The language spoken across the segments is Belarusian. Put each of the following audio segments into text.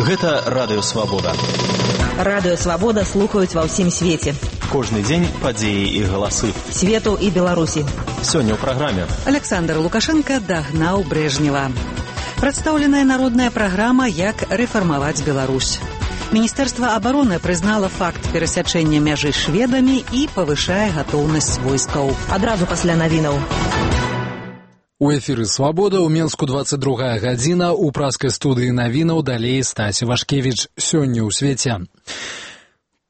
Гэта Радыё Свабода. Радыё Свабода слухаюць ва ўсім свеце. Кожны дзень падзеі і галасы. Свету і Беларусі. Сёння ў праграме. Александр Лукашенко дагнаў Брежнева. Прадстаўленая народная праграма «Як рэфармаваць Беларусь». Міністэрства абароны прызнала факт перасячэння мяжы з шведамі і павышае гатоўнасць войскаў. Адразу пасля навінаў. У эфіры «Свабода» ў Менску 22 гадзіна, у праскай студыі навінаў далей Стасі Вашкевіч. Сёння ў свеце.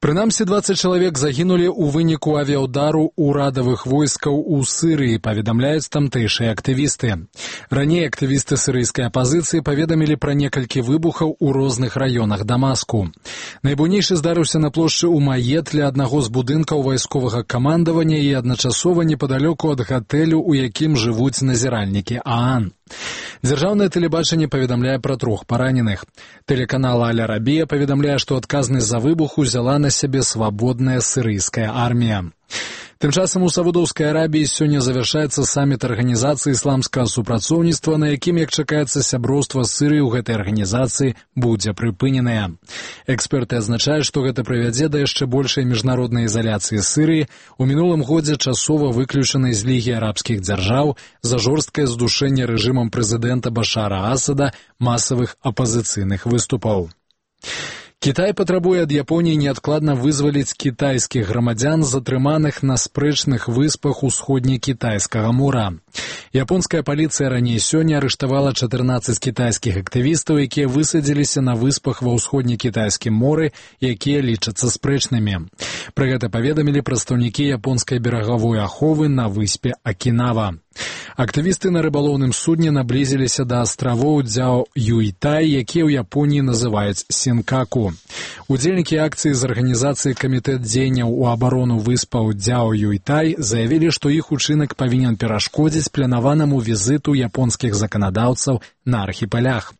Прынамсі 20 чалавек загінулі ў выніку авіаўдару ўрадавых войскаў у Сырыі, паведамляюць тамтэйшыя актывісты. Раней актывісты сырыйскай апазіцыі паведамілі пра некалькі выбухаў у розных раёнах Дамаску. Найбуйнейшы здарыўся на плошчы Умаед ля аднаго з будынкаў вайсковага камандавання і адначасова непадалёку ад гатэлю, у якім жывуць назіральнікі ААН. Дзяржаўнае тэлебачанне паведамляе пра 3 параненых. Тэлеканал Аль-Арабія паведамляе, што адказнасць за выбух узяла на сябе свабодная сырыйская армія. Тым часам у Саудаўскай Арабіі сёння завяршаецца саміт арганізацыі ісламскага супрацоўніцтва, на якім, як чакаецца, сяброўства Сырыі ў гэтай арганізацыі будзе прыпыненае. Эксперты адзначаюць, што гэта прывядзе да яшчэ большай міжнароднай ізаляцыі Сырыі, у мінулым годзе часова выключанай з Лігі арабскіх дзяржаў за жорсткае здушэнне рэжымам прэзідэнта Башара Асада масавых апазіцыйных выступаў. Кітай патрабуе ад Японіі неадкладна вызваліць кітайскіх грамадзян, затрыманых на спрэчных выспах усходне-кітайскага мора. Японская паліцыя раней сёння арыштавала 14 кітайскіх актывістаў, якія высадзіліся на выспах ва ўсходне-кітайскім моры, якія лічацца спрэчнымі. Пра гэта паведамілі прадстаўнікі японскай берагавой аховы на выспе Акінава. Актывісты на рыбалоўным судне наблізіліся да астравоў Дзяо-Юйтай, якія ў Японіі называюць Сінкаку. Удзельнікі акцыі з арганізацыі камітэт дзеянняў у абарону выспаў Дзяо-Юйтай заявілі, што іх учынак павінен перашкодзіць планаванаму візіту японскіх заканадаўцаў на архіпелях.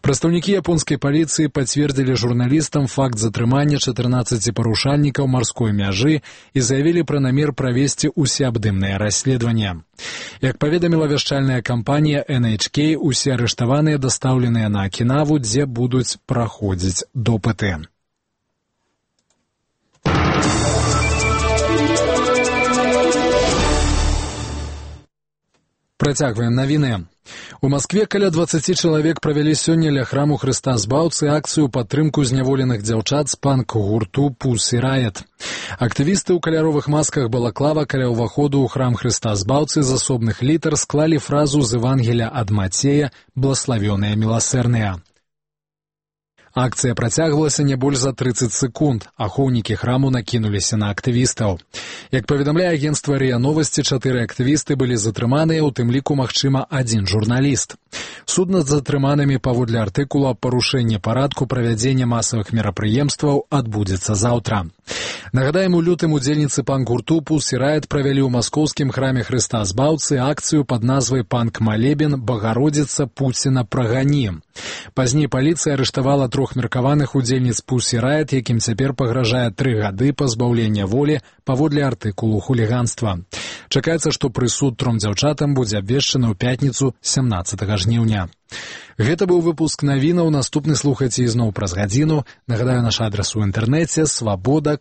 Прадстаўнікі японскай паліцыі пацвердзілі журналістам факт затрымання 14 парушальнікаў марской мяжы і заявілі пра намер правесці усеабдымнае расследаванне. Як паведаміла вяшчальная кампанія NHK, усе арыштаваныя дастаўленыя на Акінаву, дзе будуць праходзіць допыты. Працягваем навіны. У Маскве каля 20 чалавек правялі сёння ля храму Хрыста Збаўцы акцыю падтрымку зняволеных дзяўчат з панк-гурту Pussy Riot. Актывісты ў каляровых масках балаклава каля ўваходу ў храм Хрыста Збаўцы з асобных літар склалі фразу з Евангелія ад Мацея «Блаславёныя міласэрныя». Акцыя працягвалася не больш за 30 секунд. Ахоўнікі храму накінуліся на актывістаў. Як паведамляе агенцтва РИА Новасці, 4 актывісты былі затрыманыя, у тым ліку, магчыма, 1 журналіст. Суд над затрыманымі паводле артыкула «Парушэнне парадку правядзення масавых мерапрыемстваў» адбудзецца заўтра. Нагадаем, у лютым удзельніцы панк-гурту Pussy Riot правялі ў маскоўскім храме Хрыста Збаўцы акцыю пад назвай «Панк-малебен Багародзіца Пуціна прагані». Пазней паліцыя арыштавала 3 меркаваных удзельніц Pussy Riot, якім цяпер пагражае 3 гады пазбаўлення волі паводле артыкулу хуліганства. Чакаецца, што прысуд 3 дзяўчатам будзе абвешчаны ў пятніцу 17 жніўня. Гэта быў выпуск навінаў, наступны слухайце ізноў праз гадзіну. Нагадаю, наш адрас у інтэрнэце свабода.